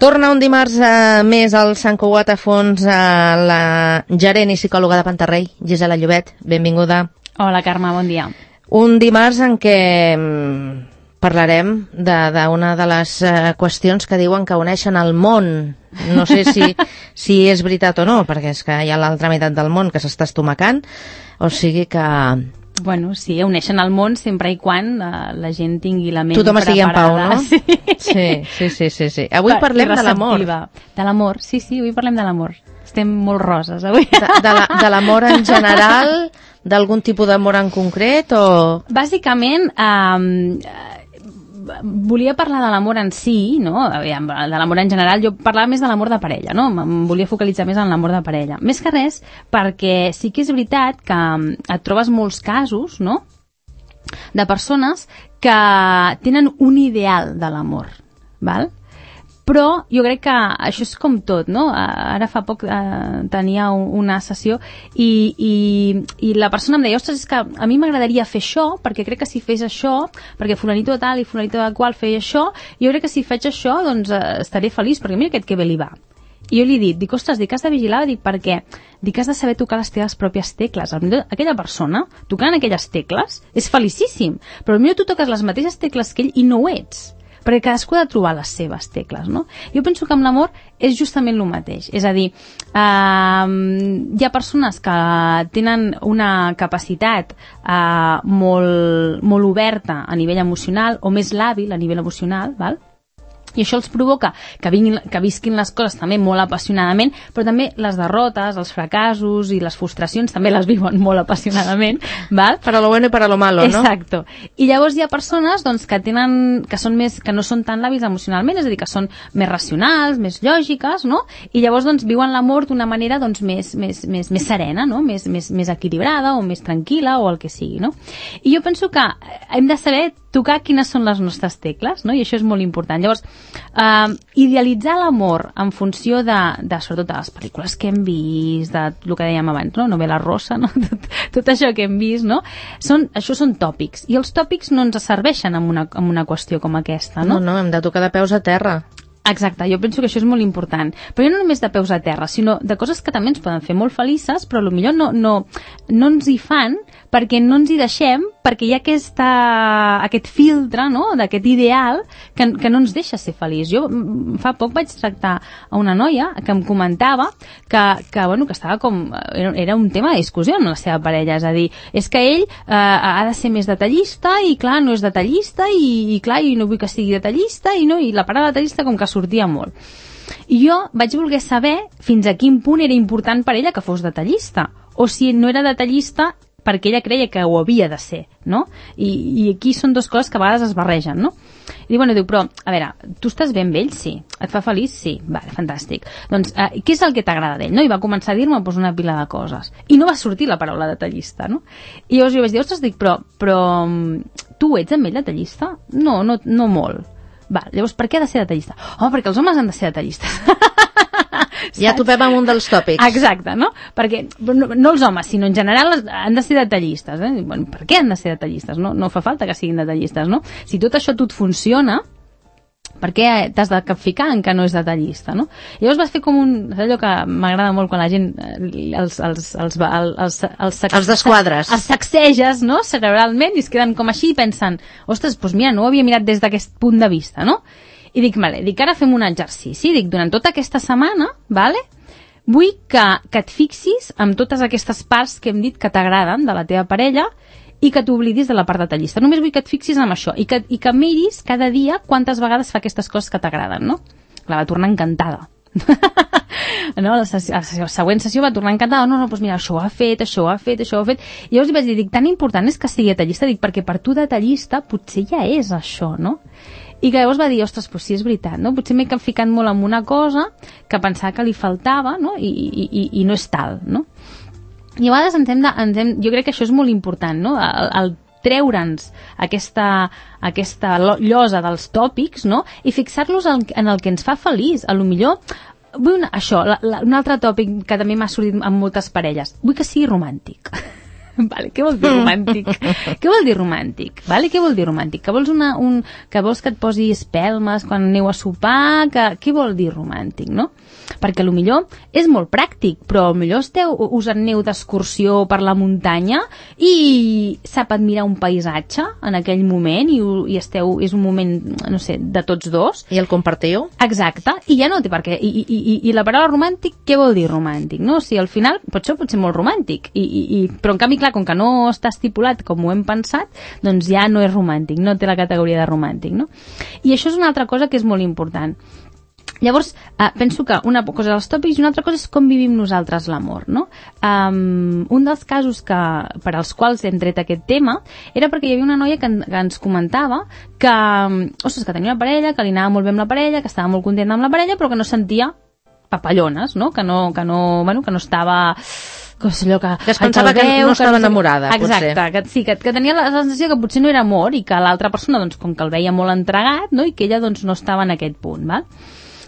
Torna un dimarts més al Sant Cugat a fons la gerent i psicòloga de Pantarrey, Gisela Llobet. Benvinguda. Hola, Carme, bon dia. Un dimarts en què parlarem d'una de les qüestions que diuen que uneixen el món. No sé si és veritat o no, perquè és que hi ha l'altra meitat del món que s'està estomacant, o sigui que... Bueno, sí, uneixen el món sempre i quan la gent tingui la ment tothom estigui en pau, no? Sí. Avui parlem de l'amor. De l'amor, sí, avui parlem de l'amor. Estem molt roses, avui. De l'amor en general, d'algun tipus d'amor en concret, o...? Bàsicament, volia parlar de l'amor en si, no? Aviam, de l'amor en general, jo parlava més de l'amor de parella, no? Em volia focalitzar més en l'amor de parella. Més que res, perquè sí que és veritat que et trobes molts casos, no?, de persones que tenen un ideal de l'amor, val? Però jo crec que això és com tot, no? Ara fa poc tenia una sessió i la persona em deia, ostres, és que a mi m'agradaria fer això, perquè crec que si fes això, perquè fulanito de tal i fulanito de qual feia això, jo crec que si faig això, doncs estaré feliç, perquè mira aquest que bé li va. I jo li he dit, ostres, has de vigilar, perquè has de saber tocar les teves pròpies tecles. Aquella persona, tocant aquelles tecles, és felicíssim, però potser tu toques les mateixes tecles que ell i no ho ets, perquè cadascú ha de trobar les seves tecles, no? Jo penso que amb l'amor és justament el mateix, és a dir, hi ha persones que tenen una capacitat molt oberta a nivell emocional o més làbil a nivell emocional, val? I això els provoca que visquin les coses també molt apassionadament, però també les derrotes, els fracassos i les frustracions també les viuen molt apassionadament, val? Para lo bueno y para lo malo, no? Exacto. I llavors hi ha persones doncs, que no són tan làbils emocionalment, és a dir, que són més racionals, més lògiques, no? I llavors doncs, viuen l'amor d'una manera doncs, més serena, no? Més equilibrada o més tranquil·la o el que sigui, no? I jo penso que hem de saber tocar quines són les nostres tecles, no? I això és molt important. Llavors, idealitzar l'amor en funció sobretot de les pel·lícules que hem vist, de el que dèiem abans, no? Novela rosa, no? Tot això que hem vist, no? Això són tòpics. I els tòpics no ens serveixen en una qüestió com aquesta, no? No, hem de tocar de peus a terra. Exacte, jo penso que això és molt important. Però no només de peus a terra, sinó de coses que també ens poden fer molt felices, però potser no ens hi fan perquè no ens hi deixem, perquè hi ha aquest filtre, no?, d'aquest ideal que no ens deixa ser feliç. Jo fa poc vaig tractar a una noia que em comentava que estava com... Era un tema de discussió amb la seva parella, és a dir, és que ell ha de ser més detallista i clar, no és detallista i clar, i no vull que sigui detallista i la paraula detallista com que sortia molt. I jo vaig voler saber fins a quin punt era important per ella que fos detallista, o si no era detallista perquè ella creia que ho havia de ser, no? I aquí són dues coses que a vegades es barregen, no? I diu, però, a veure, tu estàs bé amb ell? Sí. Et fa feliç? Sí. Vale, fantàstic. Doncs, què és el que t'agrada d'ell? No? I va començar a dir-me una pila de coses. I no va sortir la paraula detallista, no? I llavors jo vaig dir, ostres, però tu ets amb ell detallista? No molt. Val, llavors, per què ha de ser detallista? Perquè els homes han de ser detallistes. Ja topem amb un dels tòpics. Exacte, no? Perquè no els homes, sinó en general han de ser detallistes. Bueno, per què han de ser detallistes? No fa falta que siguin detallistes, no? Si tot això et funciona, per què t'has de capficar en que no és detallista, no? Llavors vas fer com allò que m'agrada molt quan la gent els desquadres. Els sacseges, no?, cerebralment, i es queden com així i pensen, ostres, doncs mira, no ho havia mirat des d'aquest punt de vista, no? I dic, ara fem un exercici. Dic, durant tota aquesta setmana, vull que et fixis en totes aquestes parts que hem dit que t'agraden de la teva parella i que t'oblidis de la part detallista. Només vull que et fixis en això i que miris cada dia quantes vegades fa aquestes coses que t'agraden, no? La va tornar encantada. No, la següent sessió va tornar encantada. No, doncs mira, això ho ha fet. I llavors li vaig dir, tan important és que sigui detallista, perquè per tu detallista potser ja és això, no? I que llavors va dir, ostres, doncs sí, és veritat, no? Potser m'he ficat molt en una cosa que pensava que li faltava, no? I no és tal, no? I a vegades jo crec que això és molt important, no? El treure'ns aquesta llosa dels tòpics, no? I fixar-los en el que ens fa feliç. A lo millor, un altre tòpic que també m'ha sortit amb moltes parelles, vull que sigui romàntic. Vale, què vol dir romàntic? Què vol dir romàntic? Vale, què vol dir romàntic? Que vols, que vols que et posi espelmes quan aneu a sopar? Què vol dir romàntic, no? Perquè millor és molt pràctic, però millor us aneu d'excursió per la muntanya i sap admirar un paisatge en aquell moment i és un moment, no sé, de tots dos. I el compartiu? Exacte, i ja no té per què. I la paraula romàntic, què vol dir romàntic? No? O sigui, al final pot ser molt romàntic, però en canvi, clar, com que no està estipulat com ho hem pensat, doncs ja no és romàntic, no té la categoria de romàntic, no? I això és una altra cosa que és molt important. Llavors, penso que una cosa dels tòpics i una altra cosa és com vivim nosaltres l'amor, no? Un dels casos per als quals hem tret aquest tema era perquè hi havia una noia que ens comentava que tenia una parella, que li anava molt bé amb la parella, que estava molt contenta amb la parella, però que no sentia papallones, no? Que no estava... que es pensava que no estava enamorada, exacte, potser. Que tenia la sensació que potser no era amor i que l'altra persona, doncs, com que el veia molt entregat, no? I que ella doncs, no estava en aquest punt, val?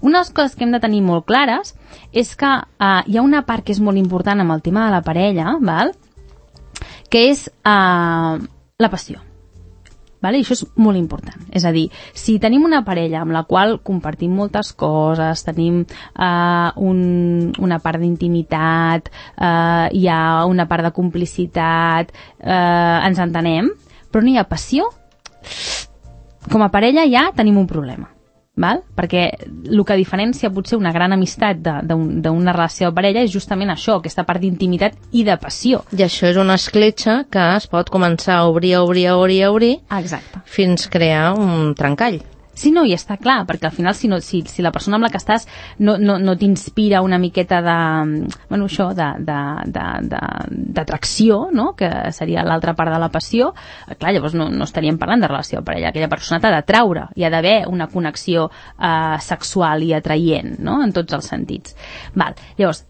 Una de les coses que hem de tenir molt clares és que hi ha una part que és molt important amb el tema de la parella, val? Que és la passió. Vale? I això és molt important. És a dir, si tenim una parella amb la qual compartim moltes coses, tenim una part d'intimitat, hi ha una part de complicitat, ens entenem, però no hi ha passió, com a parella ja tenim un problema. Val? Perquè el que diferencia potser una gran amistat d'una relació de parella és justament això, aquesta part d'intimitat i de passió. I això és una escletxa que es pot començar a obrir exacte. Fins crear un trencall. Sí, no, i està clar, perquè al final si la persona amb la que estàs no t'inspira una miqueta d'atracció, no? Que seria l'altra part de la passió, clar, llavors no estaríem parlant de relació de parella. Aquella persona t'ha d'atraure, hi ha d'haver una connexió sexual i atraient, no? En tots els sentits. Val. Llavors,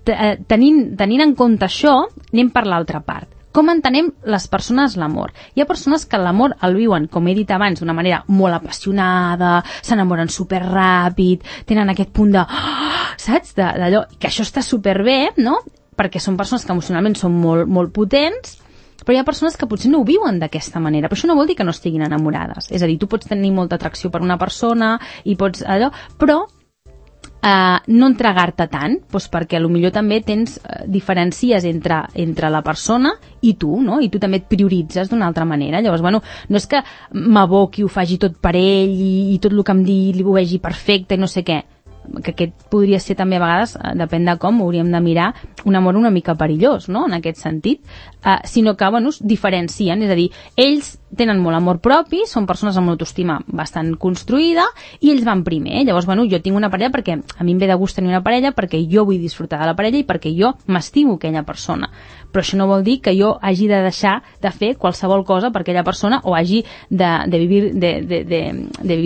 tenint en compte això, anem per l'altra part. Com entenem les persones l'amor? Hi ha persones que l'amor el viuen, com he dit abans, d'una manera molt apassionada, s'enamoren superràpid, tenen aquest punt de... saps? D'allò, que això està superbé, no? Perquè són persones que emocionalment són molt, molt potents, però hi ha persones que potser no ho viuen d'aquesta manera, però això no vol dir que no estiguin enamorades. És a dir, tu pots tenir molta atracció per una persona i pots allò, però no entregar-te tant, doncs perquè potser també tens diferències entre la persona i tu, no? I tu també et prioritzes d'una altra manera. Llavors, no és que m'aboqui, ho faci tot per ell i tot el que em digui ho vegi perfecte i no sé què, que aquest podria ser també a vegades, depèn de com, hauríem de mirar un amor una mica perillós, no?, en aquest sentit, sinó que, es diferencien, és a dir, ells tenen molt amor propi, són persones amb una autoestima bastant construïda i ells van primer. Llavors, jo tinc una parella perquè a mi em ve de gust tenir una parella, perquè jo vull disfrutar de la parella i perquè jo m'estimo aquella persona. Però això no vol dir que jo hagi de deixar de fer qualsevol cosa per aquella persona o hagi de vivir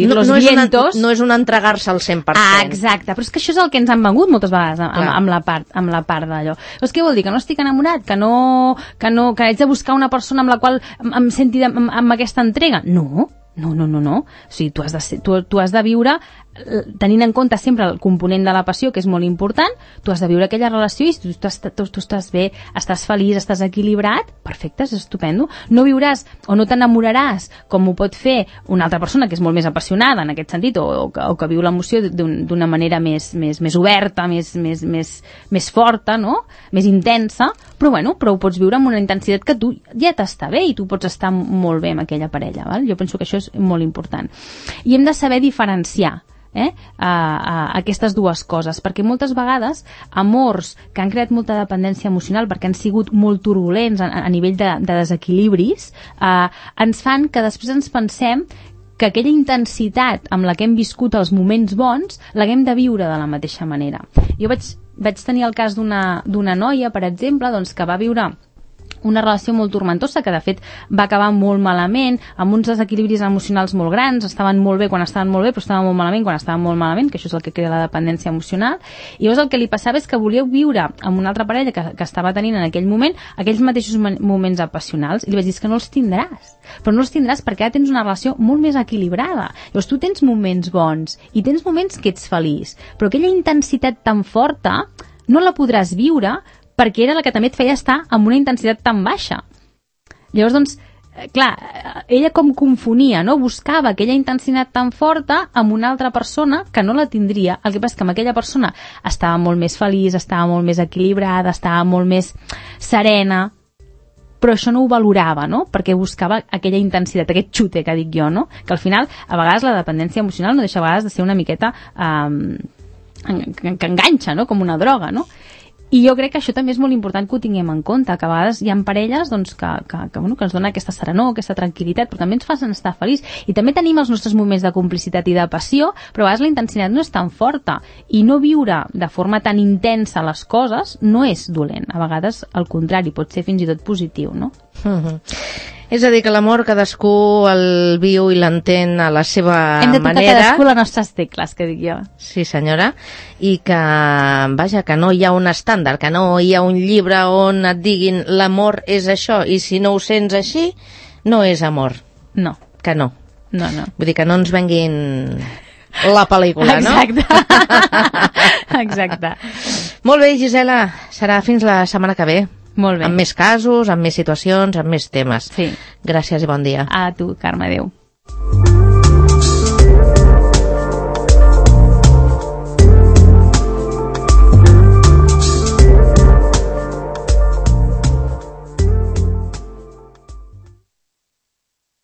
los vientos. No és un entregar-se al 100%. Exacte, però és que això és el que ens han vengut moltes vegades amb la part d'allò. Doncs què vol dir? Que no estic enamorat? Que haig de buscar una persona amb la qual em senti amb aquesta entrega? No. O sigui, tu has de viure tenint en compte sempre el component de la passió, que és molt important. Tu has de viure aquella relació i si tu estàs bé, estàs feliç, estàs equilibrat, perfecte, és estupendo. No viuràs o no t'enamoraràs com ho pot fer una altra persona que és molt més apassionada en aquest sentit o que viu l'emoció d'una manera més oberta, més forta, no? Més intensa, però ho pots viure amb una intensitat que tu ja t'està bé i tu pots estar molt bé amb aquella parella, val? Jo penso que això és molt important. I hem de saber diferenciar aquestes dues coses, perquè moltes vegades amors que han creat molta dependència emocional perquè han sigut molt turbulents a nivell de desequilibris ens fan que després ens pensem que aquella intensitat amb la que hem viscut els moments bons l'haguem de viure de la mateixa manera. Jo vaig tenir el cas d'una noia, per exemple, doncs, que va viure una relació molt tormentosa, que de fet va acabar molt malament, amb uns desequilibris emocionals molt grans, estaven molt bé quan estaven molt bé, però estaven molt malament quan estaven molt malament, que això és el que crea la dependència emocional, i llavors el que li passava és que volia viure amb una altra parella que estava tenint en aquell moment aquells mateixos moments apassionals, i li vaig dir que no els tindràs, però no els tindràs perquè ara tens una relació molt més equilibrada. Llavors tu tens moments bons i tens moments que ets feliç, però aquella intensitat tan forta no la podràs viure perquè era la que també et feia estar amb una intensitat tan baixa. Llavors, doncs, clar, ella com confonia, no? Buscava aquella intensitat tan forta amb una altra persona que no la tindria. El que passa és que amb aquella persona estava molt més feliç, estava molt més equilibrada, estava molt més serena, però això no ho valorava, no? Perquè buscava aquella intensitat, aquest xute que dic jo, no? Que al final, a vegades la dependència emocional no deixa a vegades de ser una miqueta que enganxa, no? Com una droga, no? I jo crec que això també és molt important que ho tinguem en compte, que a vegades hi ha parelles doncs, que ens dona aquesta serenor, aquesta tranquil·litat, però també ens fan estar feliç. I també tenim els nostres moments de complicitat i de passió, però a vegades la intensitat no és tan forta. I no viure de forma tan intensa les coses no és dolent. A vegades, al contrari, pot ser fins i tot positiu, no? És a dir, que l'amor cadascú el viu i l'entén a la seva manera. Hem de tocar cadascú les nostres tecles, que dic jo. Sí, senyora. I que, vaja, que no hi ha un estàndard, que no hi ha un llibre on et diguin l'amor és això, i si no ho sents així, no és amor. No. Que no. No, no. Vull dir que no ens venguin la pel·lícula, exacte. No? Exacte. Molt bé, Gisela, serà fins la setmana que ve. Molt bé. Amb més casos, amb més situacions, amb més temes. Sí. Gràcies i bon dia. A tu, Carme, adéu.